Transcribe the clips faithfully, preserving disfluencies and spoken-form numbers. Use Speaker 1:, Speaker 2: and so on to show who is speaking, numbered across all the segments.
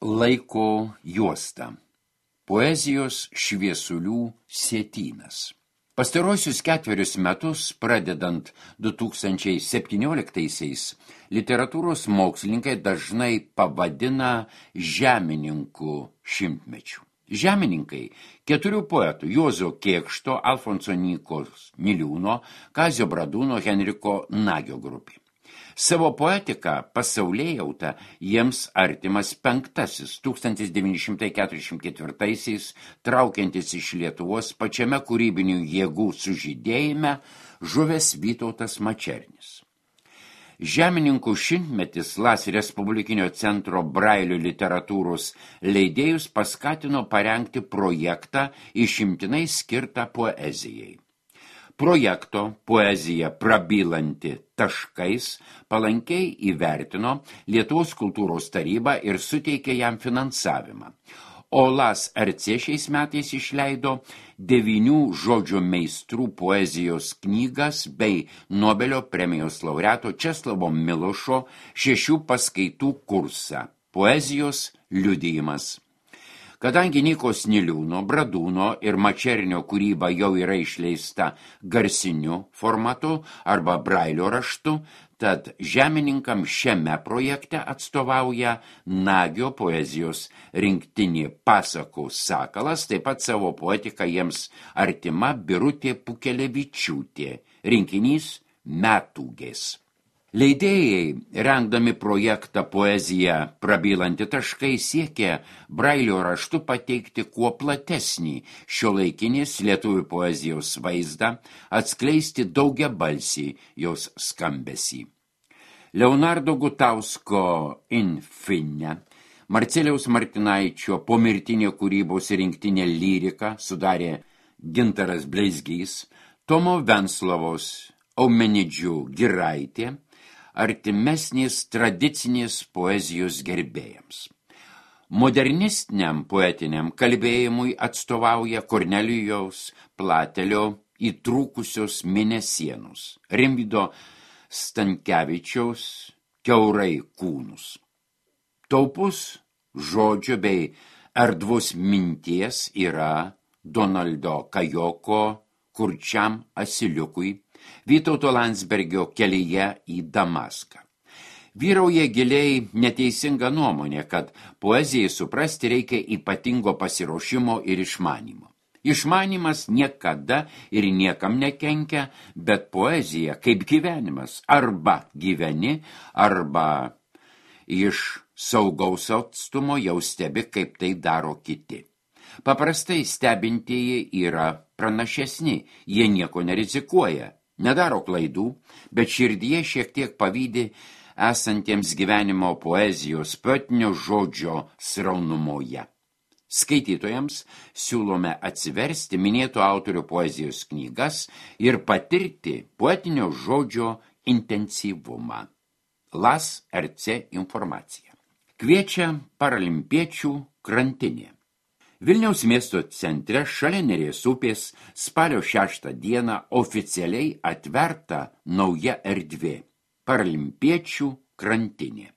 Speaker 1: Laiko juosta. Poezijos šviesulių sietynas. Pastaruosius ketverius metus, pradedant du tūkstančiai septynioliktaisiais, literatūros mokslininkai dažnai pavadina žemininkų šimtmečiu. Žemininkai keturių poetų Juozo Kėkšto, Alfonso Nykos Niliūno, Kazio Bradūno, Henriko Nagio grupė. Savo poetiką pasaulėjautą jiems artimas penktasis tūkstantis devyni šimtai keturiasdešimt ketvirtaisiais traukiantis iš Lietuvos pačiame kūrybinių jėgų sužydėjime žuvęs Vytautas Mačernis. Žemininkų šimtmetis Las Respublikinio centro Brailio literatūros leidėjus paskatino parengti projektą išimtinai skirtą poezijai. Projekto poezija prabylanti taškais palankiai įvertino Lietuvos kultūros taryba ir suteikė jam finansavimą. O Las R C šiais metais išleido devynių žodžio meistrų poezijos knygas bei Nobelio premijos laureato Česlavo Milošo šešių paskaitų kursą Poezijos liudijimas. Kadangi Nykos Niliūno, Bradūno ir Mačernio kūryba jau yra išleista garsiniu formatu arba Brailio raštu, tad žemininkam šiame projekte atstovauja Nagio poezijos rinktinė Pasakų sakalas, taip pat savo poetiką jiems artima Birutė Pukelevičiūtė, rinkinys Metūgės. Leidėjai, rengdami projektą Poezija prabylanti taškai, siekė Brailio raštu pateikti kuo platesnį šiuolaikinės lietuvių poezijos vaizdą, atskleisti daugiabalsį jos skambesį. Leonardo Gutausko Infine, Marcelijaus Martinaičio pomirtinė kūrybos rinktinė Lyrika sudarė Gintaras Bleizgys, Tomo Venclovos Aumenidžių Giraitė, artimesnės tradicinės poezijos gerbėjams. Modernistiniam poetiniam kalbėjimui atstovauja Kornelijaus Platelio Įtrūkusios mėnesienos, Rimvydo Stankevičiaus Kiaurai kūnus. Taupus žodžio bei erdvus minties yra Donaldo Kajoko Kurčiam asiliukui, Vytauto Landsbergio Kelyje į Damaską. Vyrauja giliai neteisinga nuomonė, kad poezijai suprasti reikia ypatingo pasiruošimo ir išmanymo. Išmanymas niekada ir niekam nekenkia, bet poezija kaip gyvenimas arba gyveni, arba iš saugaus atstumo jau stebi, kaip tai daro kiti. Paprastai stebintieji yra pranašesni, jie nieko nerizikuoja. Nedaro klaidų, bet širdyje šiek tiek pavydi esantiems gyvenimo poezijos poetinio žodžio sraunumoje. Skaitytojams siūlome atsiversti minėtų autorių poezijos knygas ir patirti poetinio žodžio intensyvumą. Las R C informacija. Kviečia paralimpiečių krantinė. Vilniaus miesto centre šalia Neries upės spalio šeštą dieną oficialiai atverta nauja erdvė – paralimpiečių krantinė.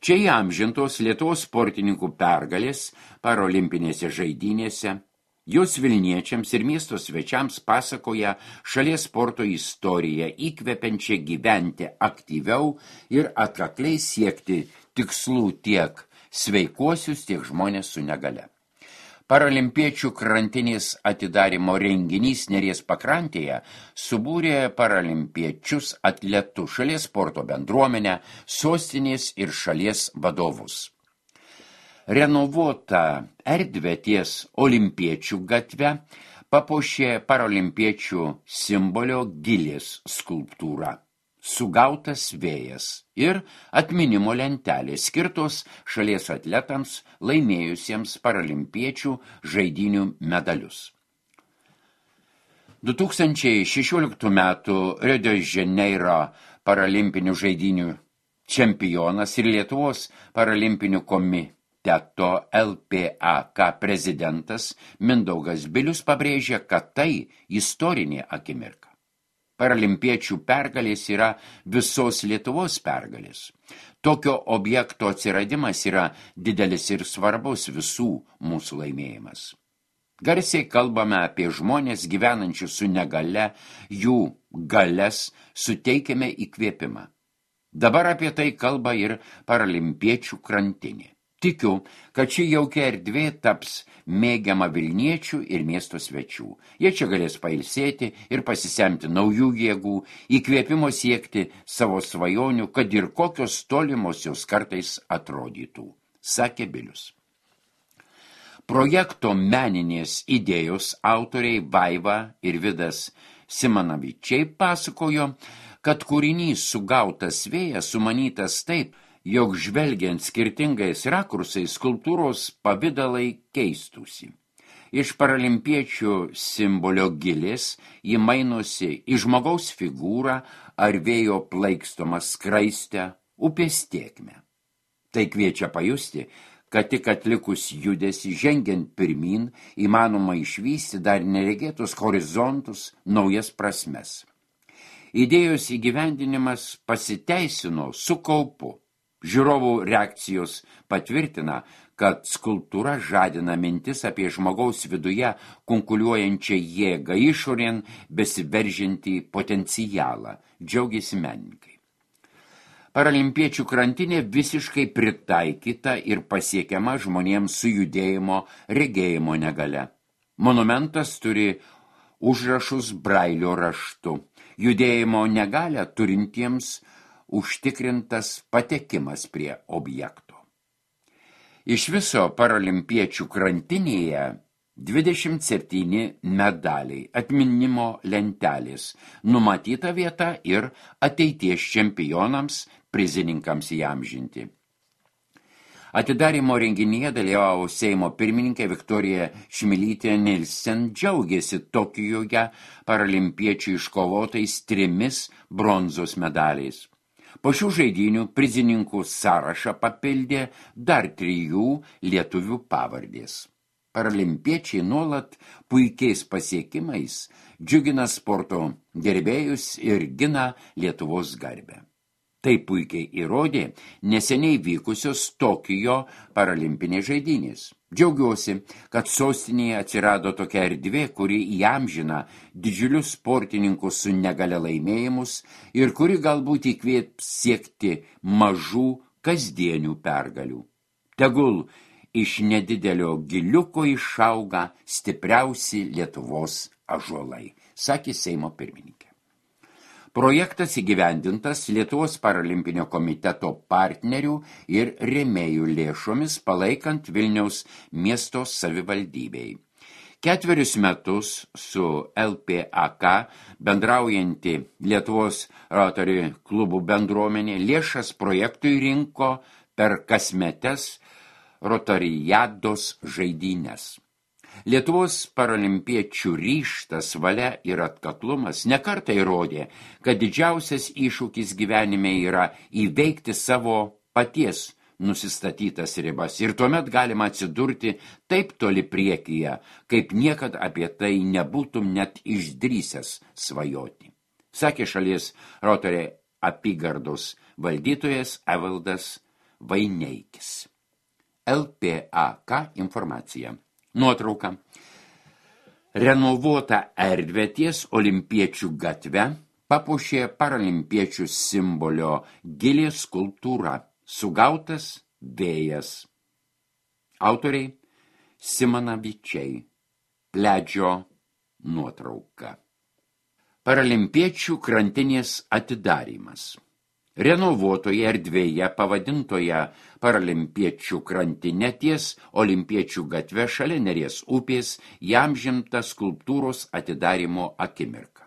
Speaker 1: Čia įamžintos Lietuvos sportininkų pergalės paralimpinėse žaidynėse, jos vilniečiams ir miesto svečiams pasakoja šalies sporto istoriją, įkvepiančią gyventi aktyviau ir atkakliai siekti tikslų tiek sveikuosius, tiek žmonės su negale. Paralimpiečių krantinės atidarymo renginys Neries pakrantėje subūrė paralimpiečius atletus, šalies sporto bendruomenę, sostinės ir šalies vadovus. Renovuota erdvė ties Olimpiečių gatve papuošė paralimpiečių simbolio Gilės skulptūrą. Sugautas vėjas ir atminimo lentelės skirtos šalies atletams laimėjusiems paralimpiečių žaidynių medalius. du tūkstančiai šešioliktų metų Rio de Janeiro paralimpinių žaidynių čempionas ir Lietuvos paralimpinių komiteto L P A K prezidentas Mindaugas Bilius pabrėžė, kad tai istorinė akimirka. Paralimpiečių pergalės yra visos Lietuvos pergalės. Tokio objekto atsiradimas yra didelis ir svarbus visų mūsų laimėjimas. Garsiai kalbame apie žmonės gyvenančius su negale, jų galias suteikiame įkvėpimą. Dabar apie tai kalba ir paralimpiečių krantinė. Tikiu, kad ši jaukia erdvė taps mėgiama Vilniečių ir miesto svečių. Jie čia galės pailsėti ir pasisemti naujų jėgų, įkvėpimo siekti savo svajonių, kad ir kokios tolimos jos kartais atrodytų, sakė Bilius. Projekto meninės idėjos autoriai Vaiva ir Vidas Simanavičiai pasakojo, kad kūrinys Sugautas vėjas sumanytas taip, jog žvelgiant skirtingais rakursais skulptūros pavidalai keistųsi. Iš paralimpiečių simbolio gilės ji mainosi į žmogaus figūrą ar vėjo plaikstomą skraistę upės tėkmę. Tai kviečia pajusti, kad tik atlikus judesį žengiant pirmin įmanoma išvysti dar neregėtus horizontus, naujas prasmes. Idėjos įgyvendinimas pasiteisino su kaupu. Žiūrovų reakcijos patvirtina, kad skulptūra žadina mintis apie žmogaus viduje kunkuliuojančią jėgą, išorėn besiveržintį potencialą, džiaugiasi menininkai. Paralimpiečių krantinė visiškai pritaikyta ir pasiekiama žmonėms su judėjimo, regėjimo negale. Monumentas turi užrašus brailio raštu. Judėjimo negalę turintiems užtikrintas patekimas prie objekto. Iš viso paralimpiečių krantinėje dvidešimt septyni medaliai, atminimo lentelės, numatyta vieta ir ateities čempionams, prizininkams įamžinti. Atidarymo renginyje dalyvavo Seimo pirmininkė Viktorija Šmilytė Nilsen, džiaugėsi Tokijoje paralimpiečių iškovotais trimis bronzos medaliais. Po šių žaidynių prizininkų sąrašą papildė dar trijų lietuvių pavardės. Paralimpiečiai nuolat puikiais pasiekimais džiugina sporto gerbėjus ir gina Lietuvos garbę. Tai puikiai įrodė neseniai vykusios Tokijo paralimpinės žaidynės. Džiaugiuosi, kad sostinėje atsirado tokia erdvė, kuri įamžina didžiulius sportininkus su negalia laimėjimus ir kuri galbūt įkvėps siekti mažų kasdienių pergalių. Tegul iš nedidelio giliuko išauga stipriausi Lietuvos ąžuolai, sakė Seimo pirmininkė. Projektas įgyvendintas Lietuvos paralimpinio komiteto partnerių ir rėmėjų lėšomis palaikant Vilniaus miesto savivaldybei. Ketverius metus su L P A K bendraujanti Lietuvos Rotary klubų bendruomenė lėšas projektui rinko per kasmetes Rotarijados žaidynes. Lietuvos paralimpiečių ryžtas, valia ir atkaklumas nekartą įrodė, kad didžiausias iššūkis gyvenime yra įveikti savo paties nusistatytas ribas ir tuomet galima atsidurti taip toli priekyje, kaip niekad apie tai nebūtum net išdrįsęs svajoti, sakė šalies Rotary apygardos valdytojas Evaldas Vaineikis. L P A K informacija. Nuotrauka. Renovuota erdvė ties Olimpiečių gatve papuošė paralimpiečių simbolio gilės skulptūra Sugautas vėjas. Autoriai Simanavičiai. Pledžio nuotrauka. Paralimpiečių krantinės atidarymas. Renovuotoje erdvėje pavadintoje paralimpiečių krantinė ties Olimpiečių gatve šalia Neries upės įamžinta skulptūros atidarymo akimirka.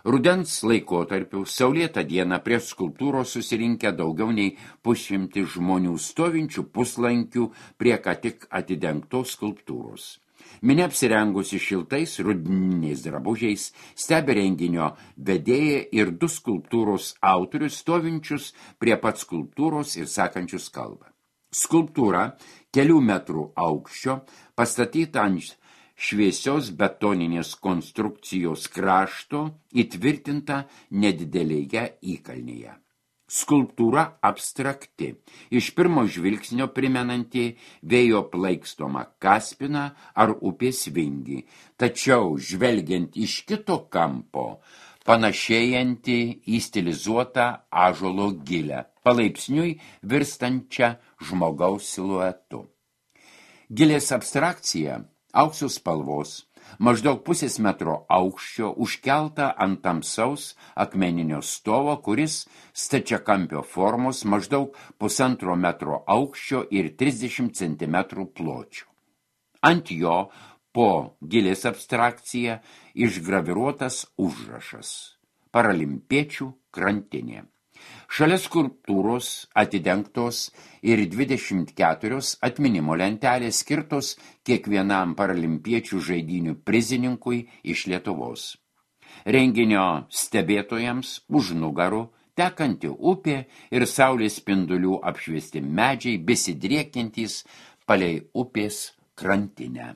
Speaker 1: Rudens laikotarpiu saulėtą dieną prie skulptūros susirinkę daugiau nei pusšimtį žmonių stovinčių puslankių prie ką tik atidengtos skulptūros. Minia apsirengusi šiltais rudeniniais drabužiais stebi renginio vedėją ir du skulptūros autorius stovinčius prie pat skulptūros ir sakančius kalbą. Skulptūra kelių metrų aukščio pastatyta ant šviesios betoninės konstrukcijos krašto įtvirtinta nedidelėje įkalnėje. Skulptūra abstrakti, iš pirmo žvilgsnio primenanti vėjo plaikstomą Kaspiną ar upės vingį, tačiau žvelgiant iš kito kampo, panašėjanti į stilizuotą ąžuolo gilę, palaipsniui virstančią žmogaus siluetu. Gilės abstrakcija aukso spalvos, maždaug pusės metro aukščio, užkelta ant tamsaus akmeninio stovo, kuris stačiakampio formos, maždaug pusantro metro aukščio ir trisdešimt centimetrų pločio. Ant jo po gilės abstrakcija išgraviruotas užrašas – Paralimpiečių krantinė. Šalia skulptūros atidengtos ir dvidešimt keturios atminimo lentelės skirtos kiekvienam paralimpiečių žaidynių prizininkui iš Lietuvos. Renginio stebėtojams už nugarų tekanti upė ir saulės spindulių apšviesti medžiai besidriekiantys palei upės krantinę.